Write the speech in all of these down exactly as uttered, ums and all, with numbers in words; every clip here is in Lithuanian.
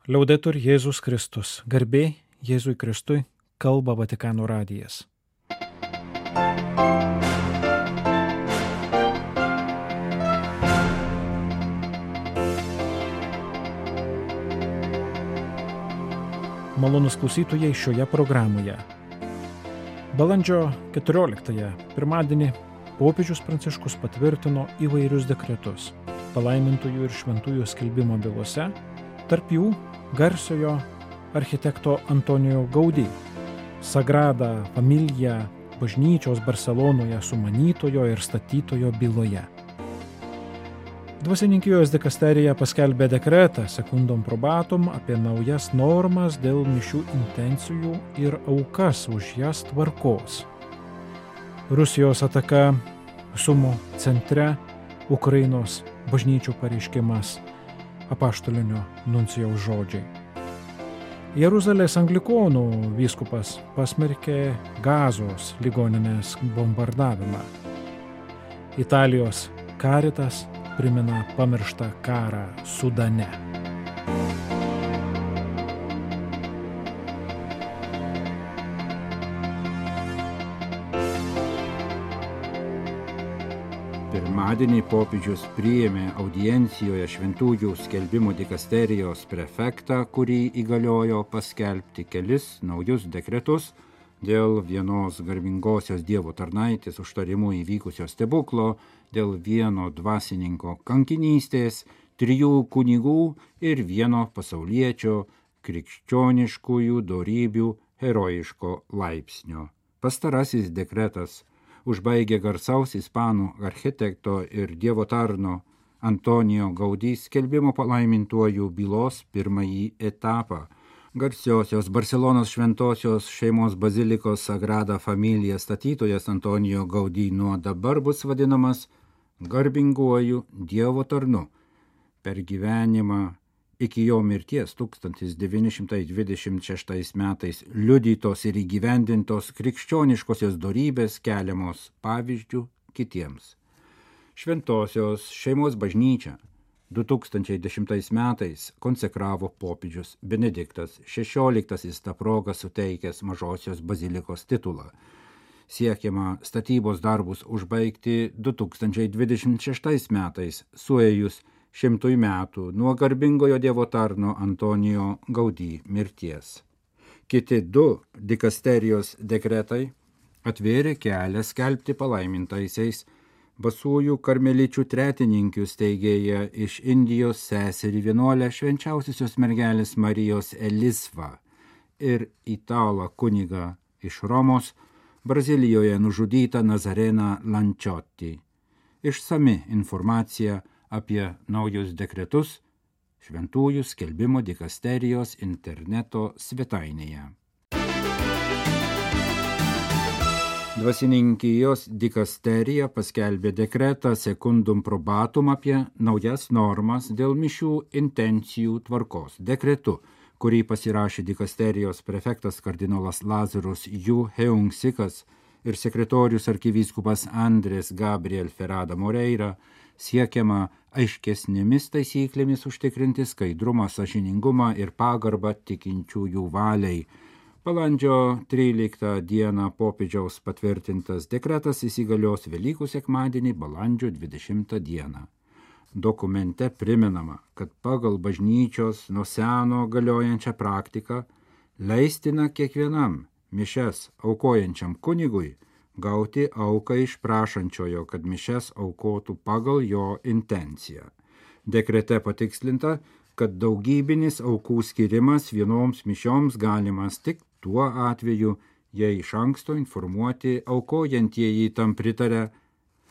Liaudetur Jėzus Kristus. Garbė Jėzui Kristui, kalba Vatikano radijas. Malonus klausytojai šioje programoje. Balandžio keturioliktąją, pirmadienį, popiežius Pranciškus patvirtino įvairius dekretus palaimintųjų ir šventųjų skelbimo bylose, tarp jų garsiojo architekto Antonijo Gaudí, Sagrada Familia bažnyčios Barselonoje sumanytojo ir statytojo byloje. Dvasininkijos dikasterija paskelbė dekretą Secundum Probatum apie naujas normas dėl mišių intencijų ir aukas už jas tvarkos. Rusijos ataka Sumo centre, Ukrainos bažnyčių pareiškimas, apaštalinio nuncijaus žodžiai. Jeruzalės anglikonų vyskupas pasmerkė Gazos ligoninės bombardavimą. Italijos Caritas primena pamirštą karą Sudane. Pirmadienį popiežius priėmė audiencijoje šventųjų skelbimo dikasterijos prefektą, kurį įgaliojo paskelbti kelis naujus dekretus dėl vienos garbingosios Dievo tarnaitės užtarimu įvykusio stebuklo, dėl vieno dvasininko kankinystės, trijų kunigų ir vieno pasauliečio krikščioniškųjų dorybių herojiško laipsnio. Pastarasis dekretas užbaigė garsaus ispanų architekto ir Dievo tarno Antonijo Gaudí skelbimo palaimintuojų bylos pirmąjį etapą. Garsiosios Barselonos šventosios šeimos bazilikos Sagrada Familia statytojas Antonijo Gaudí nuo dabar bus vadinamas garbinguoju Dievo tarnu. Per gyvenimą iki jo mirties tūkstantis devyni šimtai dvidešimt šeštais metais liudytos ir įgyvendintos krikščioniškosios dorybės keliamos pavyzdžių kitiems. Šventosios šeimos bažnyčia du tūkstančiai dešimtais metais konsekravo popiežius Benediktas šešioliktasis tą progą suteikęs mažosios bazilikos titulą. Siekiama statybos darbus užbaigti du tūkstančiai dvidešimt šeštais metais, suėjus šimtui metų nuo garbingojo Dievo tarno Antonijo Gaudí mirties. Kiti du dikasterijos dekretai atvėrė kelią skelbti palaimintaisiais basųjų karmeličių tretininkių steigėja iš Indijos seserį vienuolę švenčiausiosios mergelės Marijos Elisvą ir italą kunigą iš Romos, Brazilijoje nužudytą Nazareną Lancioti. Išsami informacija apie naujus dekretus šventųjų skelbimo dikasterijos interneto svetainėje. Dvasininkijos dikasterija paskelbė dekretą Secundum Probatum apie naujas normas dėl mišių intencijų tvarkos. Dekretu, kurį pasirašė dikasterijos prefektas kardinolas Lazarus Yu Heungsikas ir sekretorius arkivyskupas Andrės Gabriel Ferrada Moreira, siekiama aiškesnėmis taisyklėmis užtikrinti skaidrumą, sąžiningumą ir pagarbą tikinčiųjų valiai. Balandžio tryliktą dieną popiežiaus patvirtintas dekretas įsigalios Velykų sekmadienį balandžio dvidešimtą dieną. Dokumente primenama, kad pagal bažnyčios nuo seno galiojančią praktiką leistina kiekvienam mišias aukojančiam kunigui gauti auką iš prašančiojo, kad mišias aukotų pagal jo intenciją. Dekrete patikslinta, kad daugybinis aukų skirimas vienoms mišioms galimas tik tuo atveju, jei iš anksto informuoti aukojantieji tam pritarė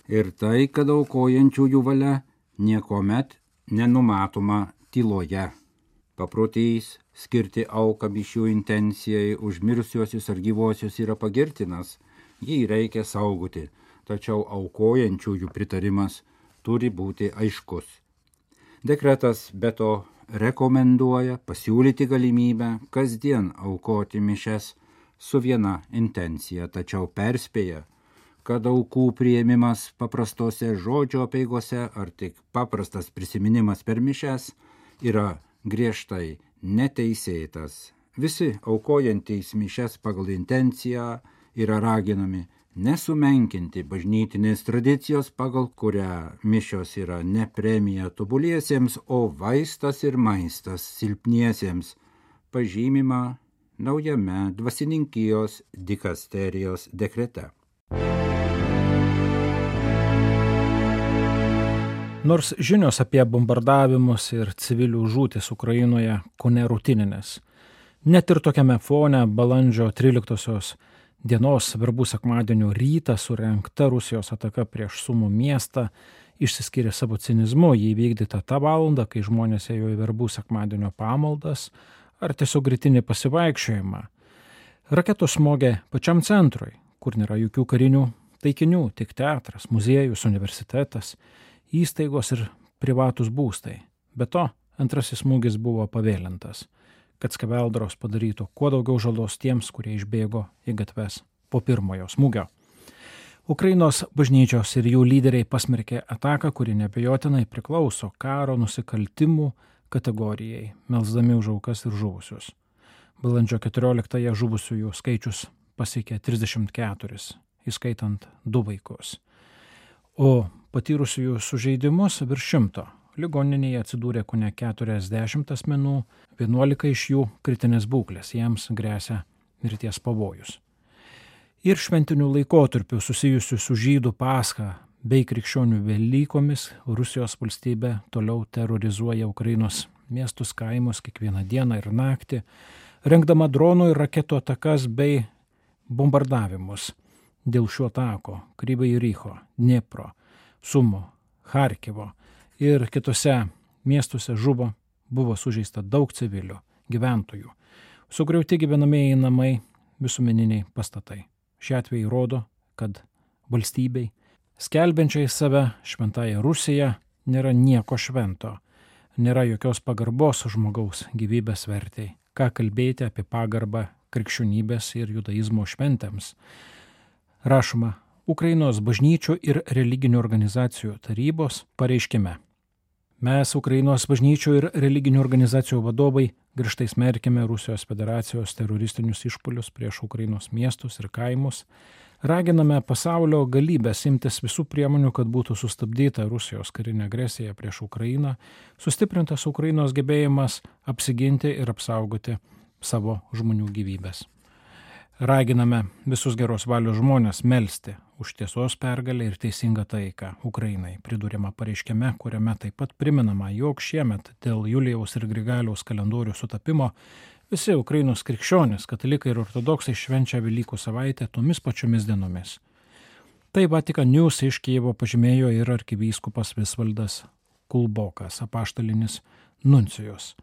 ir tai, kad aukojančiųjų valia niekuomet nenumatoma tyloje. Paprotys skirti auką mišių intencijai už mirusiuosius ar gyvuosius yra pagirtinas, jį reikia saugoti, tačiau aukojančiųjų pritarimas turi būti aiškus. Dekretas be to rekomenduoja pasiūlyti galimybę kasdien aukoti mišias su viena intencija, tačiau perspėja, kad aukų priėmimas paprastose žodžio apeigose ar tik paprastas prisiminimas per mišias yra griežtai neteisėtas. Visi aukojantys mišias pagal intenciją yra raginami nesumenkinti bažnytinės tradicijos, pagal kurią mišios yra ne premija tobuliesiems, o vaistas ir maistas silpniesiems, pažymima naujame dvasininkijos dikasterijos dekrete. Nors žinios apie bombardavimus ir civilių žūtis Ukrainoje kone rutininės, net ir tokiame fone balandžio tryliktosios dienos verbų sekmadienio rytą surengta Rusijos ataka prieš Sumų miestą išsiskyrė savo cinizmu, jį įvykdyta tą valandą, kai žmonės ėjo į verbų sekmadienio pamaldas ar tiesiog rytinį pasivaikščiojimą. Raketos smogė pačiam centrui, kur nėra jokių karinių taikinių, tik teatras, muziejus, universitetas, įstaigos ir privatus būstai. Be to, antrasis smūgis buvo pavėlintas, kad skeveldros padarytų kuo daugiau žalos tiems, kurie išbėgo į gatves po pirmojo smūgio. Ukrainos bažnyčios ir jų lyderiai pasmerkė ataką, kuri neabejotinai priklauso karo nusikaltimų kategorijai, melsdami už aukas ir žuvusius. Balandžio keturioliktąją žuvusiųjų skaičius pasiekė trisdešimt keturis, įskaitant du vaikus. O patyrusiųjų sužeidimus virš šimto. Ligoninėje atsidūrė kone keturiasdešimt asmenų, vienuolika iš jų kritinės būklės, jiems gresia mirties pavojus. Ir šventinių laikotarpių susijusių su žydų Pascha bei krikščionių Velykomis Rusijos valstybė toliau terorizuoja Ukrainos miestus, kaimus kiekvieną dieną ir naktį, rengdama dronų ir raketų atakas bei bombardavimus. Dėl šių atakų Kryvyj Riho, Dniepro, Sumo, Charkivo ir kitose miestuose žuvo, buvo sužeista daug civilių, gyventojų, sugriauti gyvenamieji namai, visuomeniniai pastatai. Šie atvejai rodo, kad valstybei, skelbiančiai save šventąją Rusiją, nėra nieko švento, nėra jokios pagarbos žmogaus gyvybės vertei. Ką kalbėti apie pagarbą krikščionybės ir judaizmo šventėms. Rašoma Ukrainos bažnyčių ir religinių organizacijų tarybos pareiškime. Mes, Ukrainos bažnyčių ir religinių organizacijų vadovai, griežtai smerkiame Rusijos federacijos teroristinius išpuolius prieš Ukrainos miestus ir kaimus, raginame pasaulio galybės imtis visų priemonių, kad būtų sustabdyta Rusijos karinė agresija prieš Ukrainą, sustiprintas Ukrainos gebėjimas apsiginti ir apsaugoti savo žmonių gyvybės. Raginame visus geros valios žmonės melsti už tiesos pergalę ir teisingą taiką Ukrainai, pridūrima pareiškime, kuriame taip pat priminama, jog šiemet dėl Julijaus ir Grigaliaus kalendorių sutapimo visi Ukrainos krikščionys, katalikai ir ortodoksai švenčia Velykų savaitę tomis pačiomis dienomis. Tai Vatican News iš Kijevo pažymėjo ir arkivyskupas Visvaldas Kulbokas, apaštalinis nuncijus.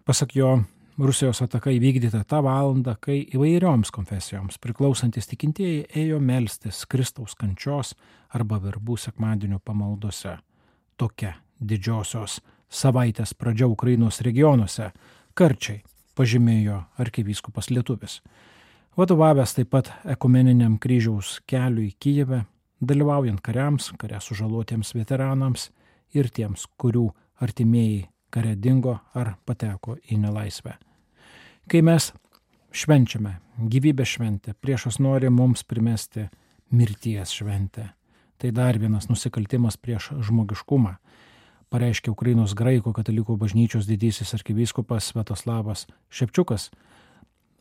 Pasak jo, Rusijos ataka įvykdyta tą valandą, kai įvairioms konfesijoms priklausantis tikintieji ėjo melstis Kristaus kančios arba verbų sekmadienio pamaldose. Tokia didžiosios savaitės pradžia Ukrainos regionuose karčiai pažymėjo arkivyskupas lietuvis. Vadovavęs taip pat ekumeniniam kryžiaus keliui Kijeve, dalyvaujant kariams, kare sužalotiems veteranams ir tiems, kurių artimieji kare dingo ar pateko į nelaisvę. Kai mes švenčiame gyvybės šventę, priešas nori mums primesti mirties šventę. Tai dar vienas nusikaltimas prieš žmogiškumą, pareiškė Ukrainos graikų katalikų bažnyčios didysis arkivyskupas Sviatoslavas Šepčiukas,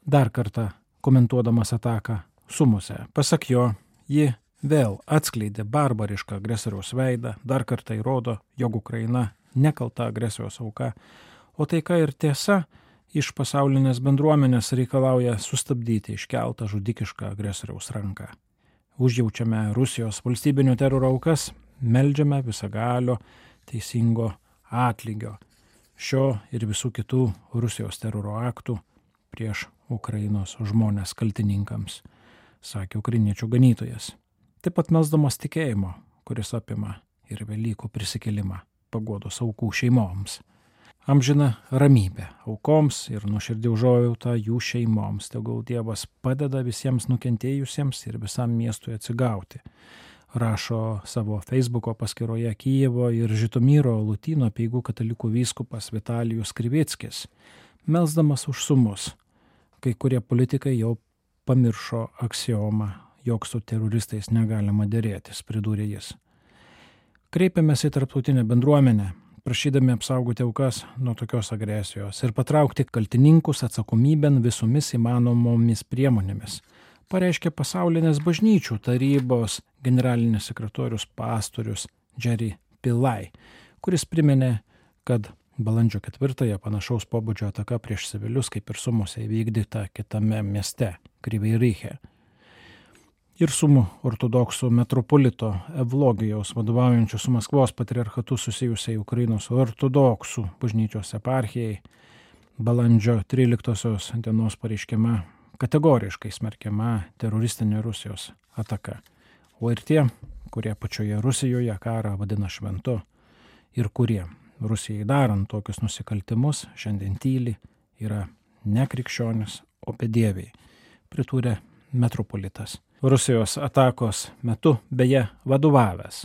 dar kartą komentuodamas ataką Sumose. Pasak jo, ji vėl atskleidė barbarišką agresoriaus veidą, dar kartą įrodo, jog Ukraina nekalta agresijos auka, o taika ir tiesa iš pasaulinės bendruomenės reikalauja sustabdyti iškeltą žudikišką agresoriaus ranką. Užjaučiame Rusijos valstybinio teroro aukas, meldžiame visagalio teisingo atlygio šio ir visų kitų Rusijos teroro aktų prieš Ukrainos žmonės kaltininkams, sakė ukrainiečių ganytojas. Taip pat melsdamas tikėjimo, kuris apima ir Velykų prisikėlimą, paguodos aukų šeimoms. Amžina ramybė aukoms ir nuoširdį užuojautą jų šeimoms. Tegul Dievas padeda visiems nukentėjusiems ir visam miestui atsigauti. rašo savo Facebooko paskyroje Kijevo ir Žitomyro Lūtyno apeigų katalikų vyskupas Vitalijus Krivickis, melsdamas už sumus. Kai kurie politikai jau pamiršo aksiomą, jog su teroristais negalima derėtis, pridūrė jis. Kreipiamės į tarptautinę bendruomenę, prašydami apsaugoti aukas nuo tokios agresijos ir patraukti kaltininkus atsakomybėn visomis įmanomomis priemonėmis, pareiškė pasaulinės bažnyčių tarybos generalinis sekretorius pastorius Jerry Pillai, kuris priminė, kad balandžio ketvirtąją panašaus pobūdžio ataka prieš civilius kaip ir Sumose įvykdyta kitame mieste, Kryvyj Rihe. Ir Sumų ortodoksų metropolito Evlogijaus vadovaujančių su Maskvos patriarchatu susijusiai Ukrainos ortodoksų bažnyčios eparchijai balandžio tryliktosios dienos pareiškime kategoriškai smerkiama teroristinė Rusijos ataka. O ir tie, kurie pačioje Rusijoje karą vadina šventu ir kurie Rusijai darant tokius nusikaltimus šiandien tyli, yra ne krikščionis, o bedieviai, pridūrė metropolitas. Rusijos atakos metu beje vadovavęs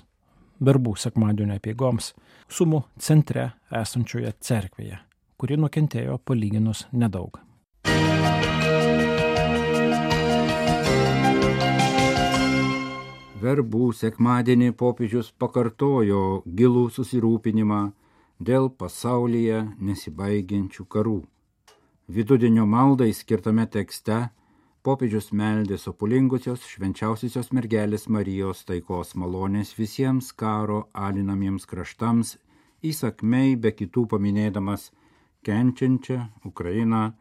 verbų sekmadienio apeigoms Sumų centre esančioje cerkvėje, kuri nukentėjo palyginus nedaug. Verbų sekmadienį popiežius pakartojo gilų susirūpinimą dėl pasaulyje nesibaigiančių karų. Vidudienio maldai skirtame tekste popiežius meldė sopulingusios švenčiausiosios mergelės Marijos taikos malonės visiems karo alinamiems kraštams, įsakmiai be kitų paminėdamas kenčiančią Ukrainą,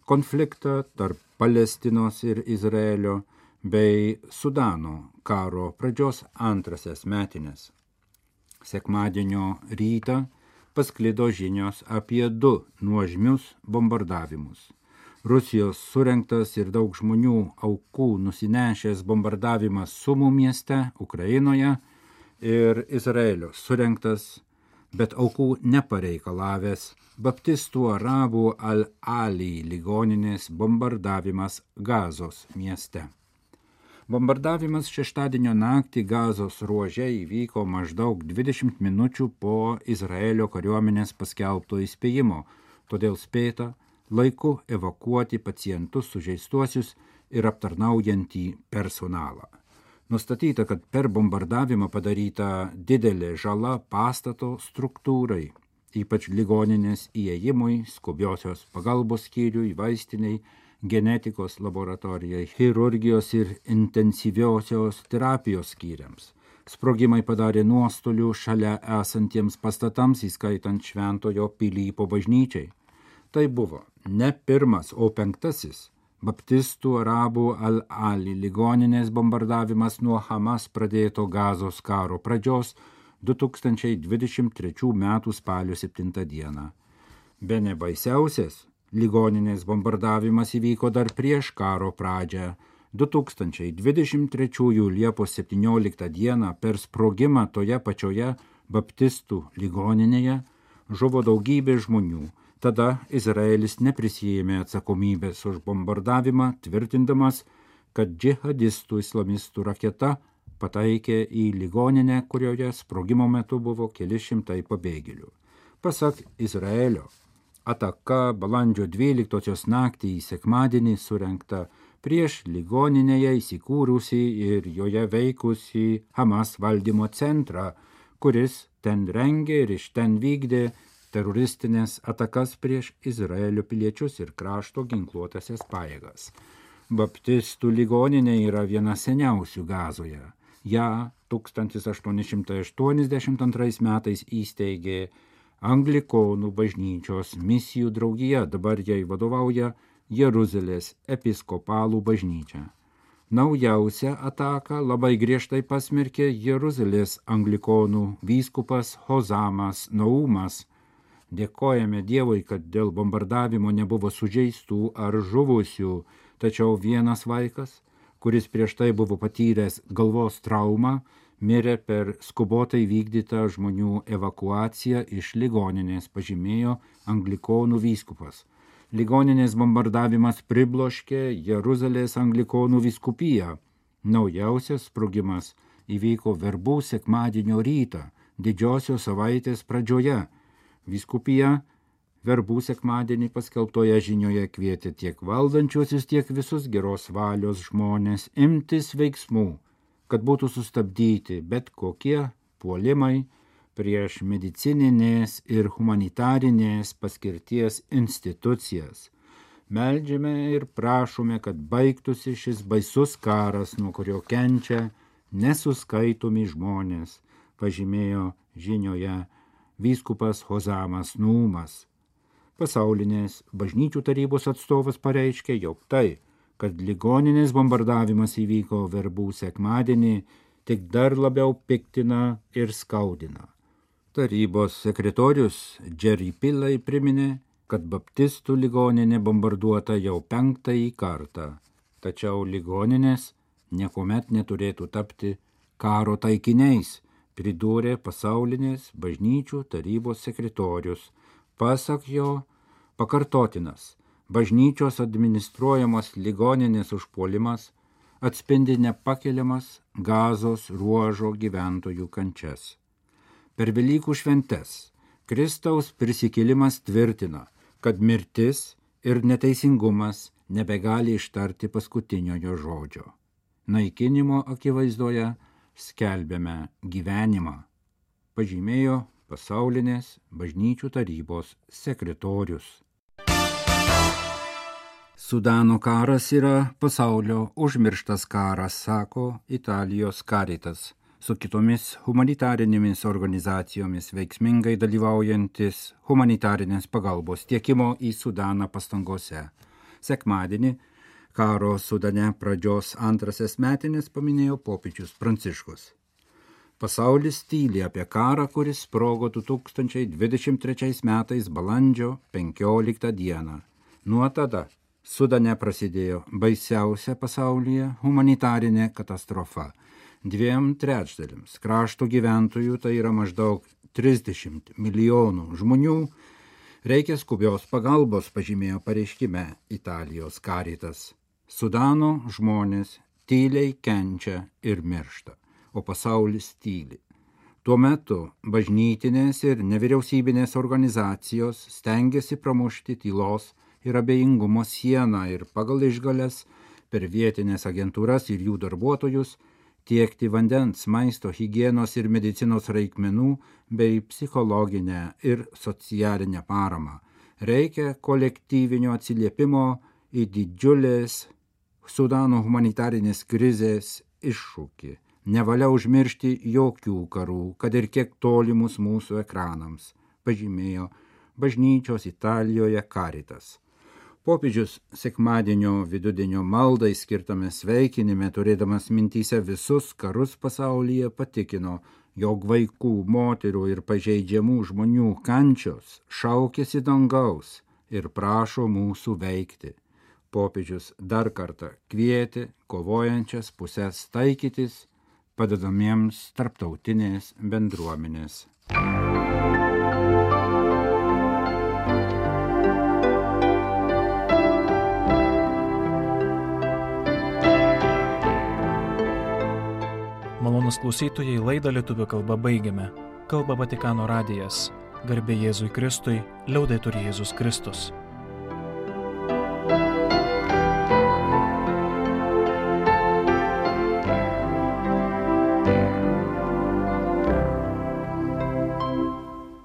konfliktą tarp Palestinos ir Izraelio bei Sudano karo pradžios antrasias metinės. Sekmadienio rytą pasklido žinios apie du nuožmius bombardavimus. Rusijos surengtas ir daug žmonių aukų nusinešęs bombardavimas Sumų mieste Ukrainoje ir Izraelio surengtas, bet aukų nepareikalavęs baptistų arabų Al-Ali ligoninės bombardavimas Gazos mieste. Bombardavimas šeštadienio naktį Gazos ruože įvyko maždaug dvidešimt minučių po Izraelio kariuomenės paskelbto įspėjimo, todėl spėta laiku evakuoti pacientus sužeistuosius ir aptarnaujantį personalą. Nustatyta, kad per bombardavimą padaryta didelė žala pastato struktūrai, ypač ligoninės įėjimui, skubiosios pagalbos skyriui, vaistiniai, genetikos laboratorijai, chirurgijos ir intensyviosios terapijos skyriams. Sprogimai padarė nuostolių šalia esantiems pastatams, įskaitant Šventojo Pilypo bažnyčiai. Tai buvo ne pirmas, o penktasis baptistų arabų Al-Ali ligoninės bombardavimas nuo Hamas pradėto Gazos karo pradžios du tūkstančiai dvidešimt trečių metų spalio septintą dieną. Bene baisiausias ligoninės bombardavimas įvyko dar prieš karo pradžią. du tūkstančiai dvidešimt trečiųjų Liepos septynioliktą dieną per sprogimą toje pačioje baptistų ligoninėje žuvo daugybė žmonių. Tada Izraelis neprisijėmė atsakomybės už bombardavimą, tvirtindamas, kad džihadistų islamistų raketa pataikė į ligoninę, kurioje sprogimo metu buvo keli šimtai pabėgėlių. Pasak Izraelio, ataka balandžio dvyliktosios naktį į sekmadienį surengta prieš ligoninėje įsikūrusį ir joje veikusį Hamas valdymo centrą, kuris ten rengė ir iš ten vykdė teroristinės atakas prieš Izraelio piliečius ir krašto ginkluotasias pajėgas. Baptistų ligoninė yra viena seniausių Gazoje. Ja tūkstantis aštuoni šimtai aštuoniasdešimt antrais metais įsteigė Anglikonų bažnyčios misijų draugija, dabar jai vadovauja Jeruzalės episkopalų bažnyčia. Naujausią ataką labai griežtai pasmerkė Jeruzalės anglikonų vyskupas Hozamas Naumas. Dėkojame Dievui, kad dėl bombardavimo nebuvo sužeistų ar žuvusių, tačiau vienas vaikas, kuris prieš tai buvo patyręs galvos traumą, mirė per skubotai vykdytą žmonių evakuaciją iš ligoninės, pažymėjo anglikonų vyskupas. Ligoninės bombardavimas pribloškė Jeruzalės anglikonų vyskupiją. Naujausias sprogimas įvyko verbų sekmadienio rytą, didžiosios savaitės pradžioje. Vyskupija verbų sekmadienį paskelbtoje žinioje kvietė tiek valdančiuosius, tiek visus geros valios žmonės imtis veiksmų, kad būtų sustabdyti bet kokie puolimai prieš medicininės ir humanitarinės paskirties institucijas. Meldžiame ir prašome, kad baigtųsi šis baisus karas, nuo kurio kenčia nesuskaitomi žmonės, pažymėjo žinioje vyskupas Hozamas Nūmas. Pasaulinės bažnyčių tarybos atstovas pareiškė, jog tai, kad ligoninės bombardavimas įvyko verbų sekmadienį, tik dar labiau piktina ir skaudina. Tarybos sekretorius Jerry Pillay priminė, kad baptistų ligoninė bombarduota jau penktąjį kartą, tačiau ligoninės niekuomet neturėtų tapti karo taikiniais, pridūrė pasaulinės bažnyčių tarybos sekretorius. Pasak jo, pakartotinas bažnyčios administruojamos ligoninės užpuolimas atspindi nepakeliamas Gazos ruožo gyventojų kančias. Per Velykų šventes Kristaus prisikėlimas tvirtina, kad mirtis ir neteisingumas nebegali ištarti paskutiniojo žodžio. Naikinimo akivaizdoje skelbiame gyvenimą, pažymėjo pasaulinės bažnyčių tarybos sekretorius. Sudano karas yra pasaulio užmirštas karas, sako Italijos Caritas, su kitomis humanitarinėmis organizacijomis veiksmingai dalyvaujantis humanitarinės pagalbos tiekimo į Sudaną pastangose. Sekmadienį karo Sudane pradžios antrasias metinės paminėjo popiežius Pranciškus. Pasaulis tyli apie karą, kuris sprogo du tūkstančiai dvidešimt trečiais metais balandžio penkioliktą dieną. Nuo tada Sudane prasidėjo baisiausia pasaulyje humanitarinė katastrofa. Dviem trečdaliams krašto gyventojų, tai yra maždaug trisdešimt milijonų žmonių, reikia skubios pagalbos, pažymėjo pareiškime Italijos Caritas. Sudano žmonės tyliai kenčia ir miršta, o pasaulis tyli. Tuo metu bažnytinės ir nevyriausybinės organizacijos stengiasi pramušti tylos ir abejingumo sieną ir pagal išgales per vietinės agentūras ir jų darbuotojus tiekti vandens, maisto, higienos ir medicinos reikmenų bei psichologinę ir socialinę paramą. Reikia kolektyvinio atsiliepimo į didžiulės Sudano humanitarinės krizės iššūkį. Nevalia užmiršti jokių karų, kad ir kiek tolimus mūsų ekranams, pažymėjo bažnyčios Italijoje Caritas. Popiežius sekmadienio vidudienio maldai skirtame sveikinime, turėdamas mintyse visus karus pasaulyje, patikino, jog vaikų, moterų ir pažeidžiamų žmonių kančios šaukėsi dangaus ir prašo mūsų veikti. Popiežius dar kartą kvietė kovojančias puses taikytis, padedamiems tarptautinės bendruomenės. Malonūs klausytojai, laidą lietuvių kalba baigiame. Kalba Vatikano radijas. Garbė Jėzui Kristui, liaudetur Jėzus Kristus.